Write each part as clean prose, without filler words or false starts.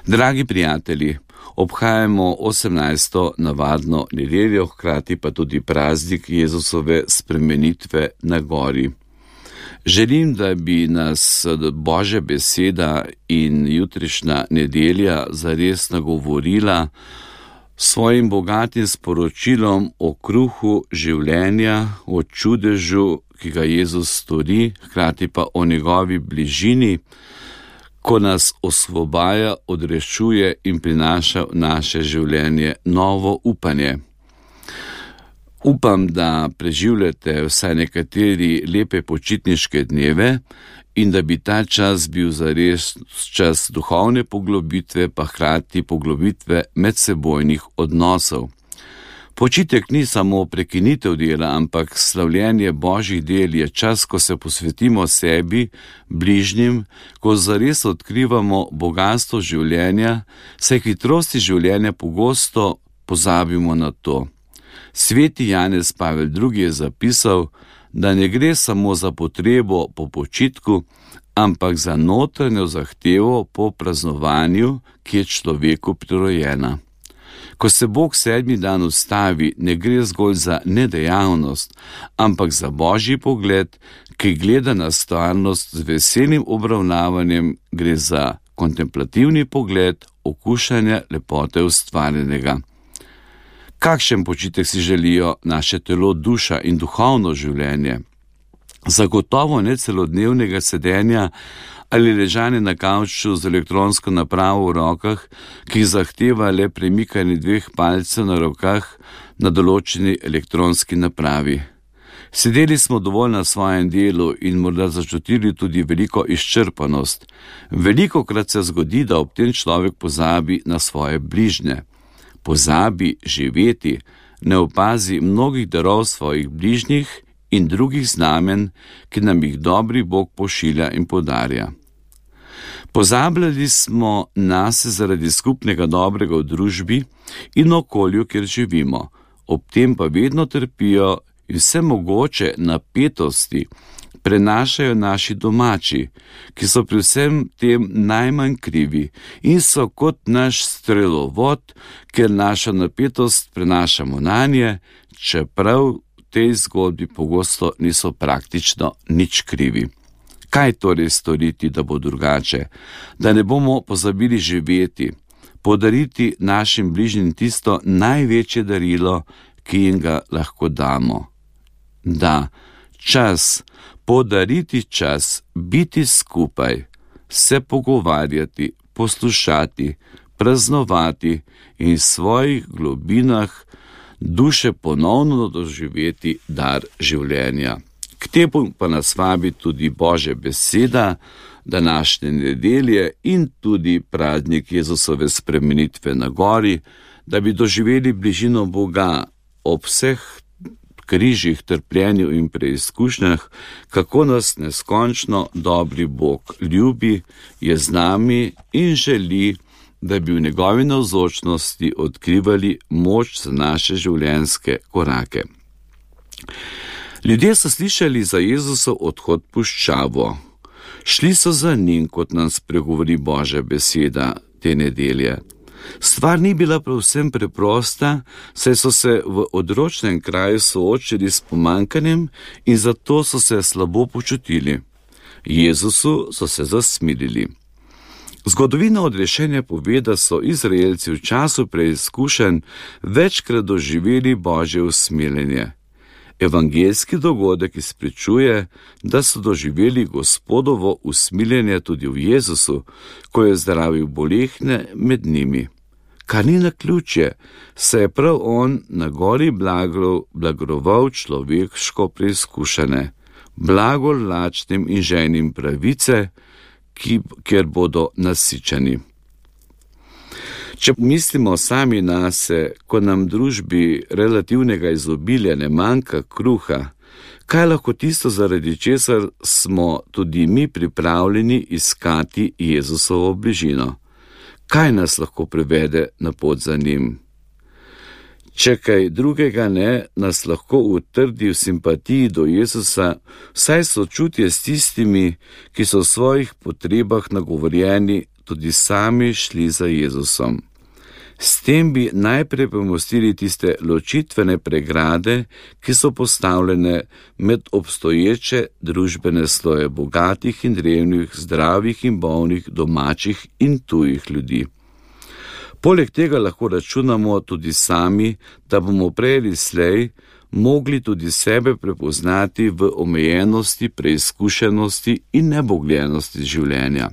Dragi prijatelji, obhajamo 18. navadno nedeljo, hkrati pa tudi praznik Jezusove spremenitve na gori. Želim, da bi nas Božja beseda in jutrišnja nedelja zares nagovorila svojim bogatim sporočilom o kruhu življenja, o čudežu, ki ga Jezus stori, hkrati pa o njegovi bližini, ko nas osvobaja, odrešuje in prinaša v naše življenje novo upanje. Upam, da preživljate vsaj nekateri lepe počitniške dneve in da bi ta čas bil zares čas duhovne poglobitve, pa hkrati poglobitve medsebojnih odnosov. Počitek ni samo prekinitev dela, ampak slavljenje Božjih del je čas, ko se posvetimo sebi, bližnjim, ko zares odkrivamo bogastvo življenja, saj hitrosti življenja pogosto pozabimo na to. Sveti Janez Pavel II. Je zapisal, da ne gre samo za potrebo po počitku, ampak za notranjo zahtevo po praznovanju, ki je človeku prirojena. Ko se Bog 7. dan ustavi, ne gre zgolj za nedejavnost, ampak za Božji pogled, ki gleda na stvarnost z veselim obravnavanjem, gre za kontemplativni pogled okušanja lepote ustvarjenega. Kakšen počitek si želijo naše telo, duša in duhovno življenje? Zagotovo ne celodnevnega sedenja ali ležanje na kavču z elektronsko napravo v rokah, ki zahteva le premikanje 2 palcev na rokah na določeni elektronski napravi. Sedeli smo dovolj na svojem delu in morda začutili tudi veliko izčrpanost. Velikokrat se zgodi, da ob tem človek pozabi na svoje bližnje. Pozabi živeti, ne opazi mnogih darov svojih bližnjih in drugih znamen, ki nam jih dobri Bog pošilja in podarja. Pozabljali smo nase zaradi skupnega dobrega v družbi in okolju, kjer živimo, ob tem pa vedno trpijo in vse mogoče napetosti prenašajo naši domači, ki so pri vsem tem najmanj krivi in so kot naš strelovod, ker našo napetost prenašamo nanje, čeprav v tej zgodbi pogosto niso praktično nič krivi. Kaj torej storiti, da bo drugače? Da ne bomo pozabili živeti, podariti našim bližnjim tisto največje darilo, ki jim ga lahko damo. Da, čas, podariti čas, biti skupaj, se pogovarjati, poslušati, praznovati in v svojih globinah duše ponovno doživeti dar življenja. K temu pa nas vabi tudi Božja beseda, današnje nedelje in tudi praznik Jezusove spremenitve na gori, da bi doživeli bližino Boga ob vseh križih, trpljenju in preizkušnjah, kako nas neskončno dobri Bog ljubi, je z nami in želi, da bi v njegovi navzočnosti odkrivali moč za naše življenjske korake. Ljudje so slišali za Jezusov odhod v puščavo. Šli so za njim, kot nam spregovori Božja beseda te nedelje. Stvar ni bila povsem preprosta, saj so se v odročnem kraju soočili s pomanjkanjem in zato so se slabo počutili. Jezusu so se zasmilili. Zgodovina odrešenja pove, da so Izraelci v času preizkušenj večkrat doživeli Božje usmiljenje. Evangeljski dogodek izpričuje, da so doživeli Gospodovo usmiljenje tudi v Jezusu, ko je zdravil bolehne med njimi. Kar ni naključje, saj je prav on na gori blagoroval človeško preizkušene, blago lačnim in žejnim pravice, kjer bodo nasičeni. Če mislimo sami nase, ko nam družbi relativnega izobilja ne manjka kruha, kaj lahko tisto, zaradi česar smo tudi mi pripravljeni iskati Jezusovo bližino? Kaj nas lahko privede na pot za njim? Če kaj drugega ne, nas lahko utrdi v simpatiji do Jezusa, saj sočutje s tistimi, ki so v svojih potrebah nagovorjeni, tudi sami šli za Jezusom. S tem bi najprej premostili tiste ločitvene pregrade, ki so postavljene med obstoječe družbene sloje bogatih in revnih, zdravih in bolnih, domačih in tujih ljudi. Poleg tega lahko računamo tudi sami, da bomo prej ali slej mogli tudi sebe prepoznati v omejenosti, preizkušenosti in nebogljenosti življenja.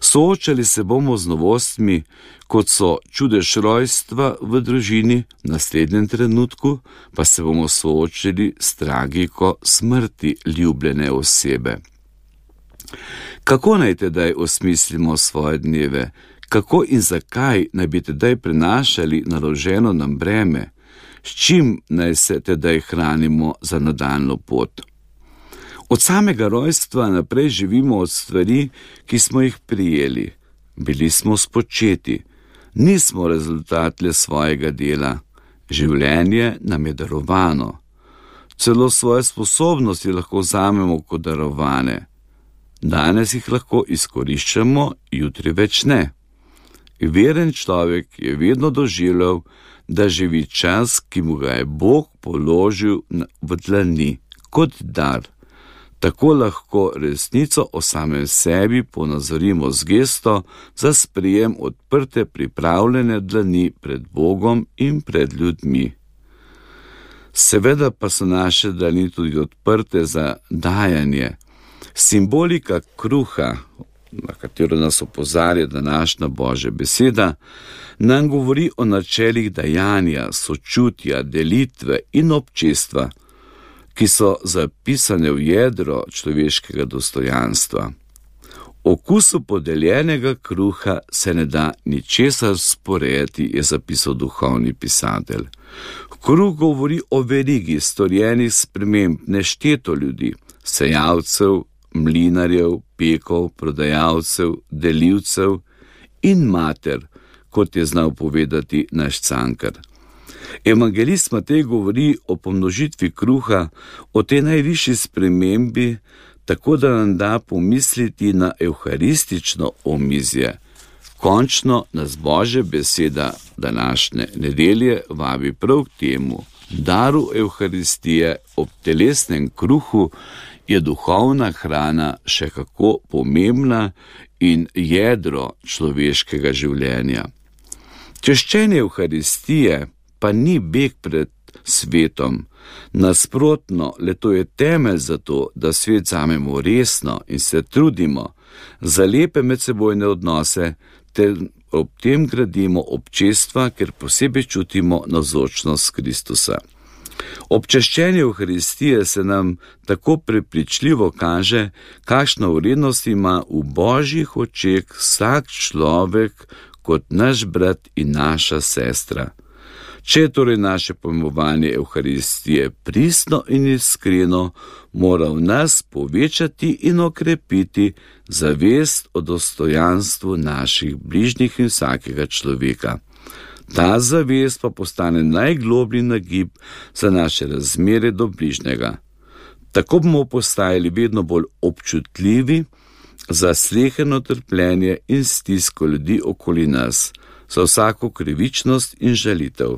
Soočali se bomo z novostmi, kot so čudež rojstva v družini, v naslednjem trenutku pa se bomo soočili s tragiko smrti ljubljene osebe. Kako naj tedaj osmislimo svoje dneve? Kako in zakaj naj bi tedaj prenašali naloženo nam breme? S čim naj se tedaj hranimo za nadaljnjo pot? Od samega rojstva naprej živimo od stvari, ki smo jih prijeli. Bili smo spočeti, nismo rezultat le svojega dela. Življenje nam je darovano. Celo svoje sposobnosti lahko vzamemo kot darovane. Danes jih lahko izkoriščamo, jutri več ne. Veren človek je vedno doživljal, da živi čas, ki mu ga je Bog položil v dlani, kot dar. Tako lahko resnico o samem sebi ponazorimo z gesto za sprijem odprte pripravljene dlani pred Bogom in pred ljudmi. Seveda pa so naše dlani tudi odprte za dajanje. Simbolika kruha, na katero nas opozarja današnja Božja beseda, nam govori o načelih dajanja, sočutja, delitve in občestva, ki so zapisane v jedro človeškega dostojanstva. Okusu podeljenega kruha se ne da ničesar sporejati, je zapisal duhovni pisatelj. Kruh govori o verigi storjenih sprememb nešteto ljudi, sejalcev, mlinarjev, pekov, prodajalcev, delivcev in mater, kot je znal povedati naš Cankar. Evangelist Matej govori o pomnožitvi kruha, o tej najvišji spremembi, tako da nam da pomisliti na evharistično omizje. Končno nas Božja beseda današnje nedelje vabi prav k temu. Daru evharistije ob telesnem kruhu je duhovna hrana še kako pomembna in jedro človeškega življenja. Češčenje evharistije pa ni beg pred svetom. Nasprotno, le to je temelj za to, da svet vzamemo resno in se trudimo za lepe medsebojne odnose, ter ob tem gradimo občestva, ker posebej čutimo navzočnost Kristusa. Ob češčenju Evharistije se nam tako prepričljivo kaže, kakšno vrednost ima v Božjih očeh vsak človek kot naš brat in naša sestra. Če je torej naše pojmovanje Evharistije pristno in iskreno, mora v nas povečati in okrepiti zavest o dostojanstvu naših bližnjih in vsakega človeka. Ta zavest pa postane najgloblji nagib za naše razmere do bližnjega. Tako bomo postajali vedno bolj občutljivi za sleherno trpljenje in stisko ljudi okoli nas, za vsako krivičnost in žalitev.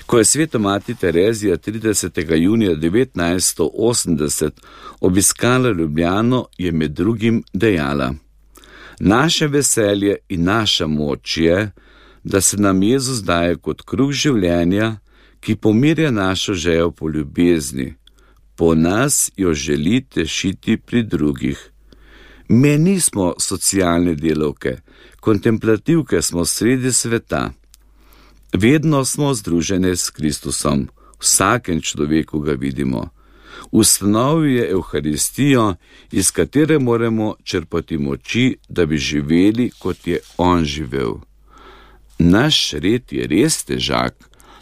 Ko je sveta mati Terezija 30. junija 1980 obiskala Ljubljano, je med drugim dejala: naše veselje in naša moč je, da se nam Jezus daje kot kruh življenja, ki pomirja našo željo po ljubezni. Po nas jo želi tešiti pri drugih. Mi nismo socialne delavke, kontemplativke smo sredi sveta. Vedno smo združene s Kristusom, vsakem človeku ga vidimo. Ustanovil je Evharistijo, iz katere moramo črpati moči, da bi živeli, kot je on živel. Naš red je res težak,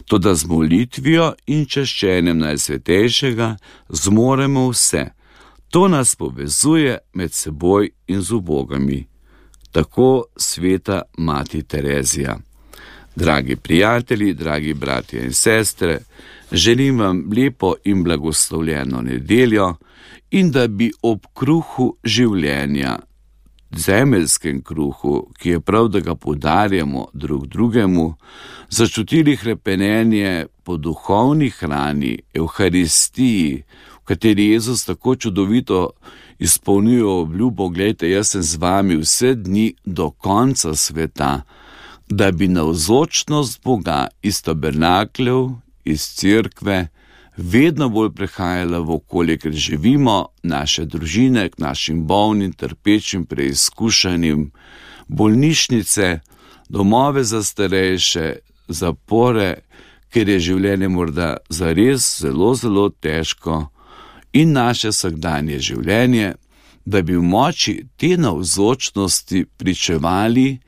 toda z molitvijo in čaščenjem Najsvetejšega zmoremo vse. To nas povezuje med seboj in z ubogami. Tako sveta mati Terezija. Dragi prijatelji, dragi bratje in sestre, želim vam lepo in blagoslovljeno nedeljo in da bi ob kruhu življenja zemeljskem kruhu, ki je prav, da ga podarjamo drug drugemu, začutili hrepenenje po duhovni hrani, Evharistiji, v kateri Jezus tako čudovito izpolnjuje obljubo: glejte, jaz sem z vami vse dni do konca sveta, da bi navzočnost Boga iz tabernakljev, iz cerkve, vedno bolj prehajala v okolje, ker živimo, naše družine, k našim bolnim, trpečim, preizkušanim, bolnišnice, domove za starejše, zapore, ker je življenje morda zares zelo, zelo težko, in naše vsakdanje življenje, da bi v moči te navzočnosti pričevali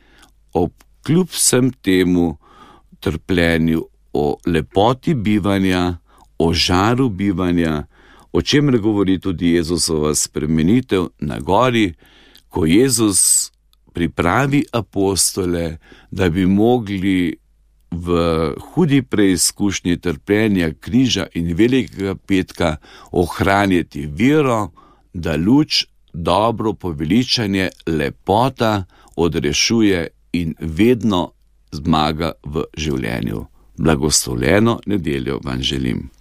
ob kljub vsem temu trpljenju o lepoti bivanja, o žaru bivanja, o čemer govori tudi Jezusova spremenitev na gori, ko Jezus pripravi apostole, da bi mogli v hudi preizkušnji trpljenja križa in velikega petka ohranjati vero, da luč, dobro poveličanje, lepota odrešuje in vedno zmaga v življenju. Blagoslovljeno nedeljo vam želim.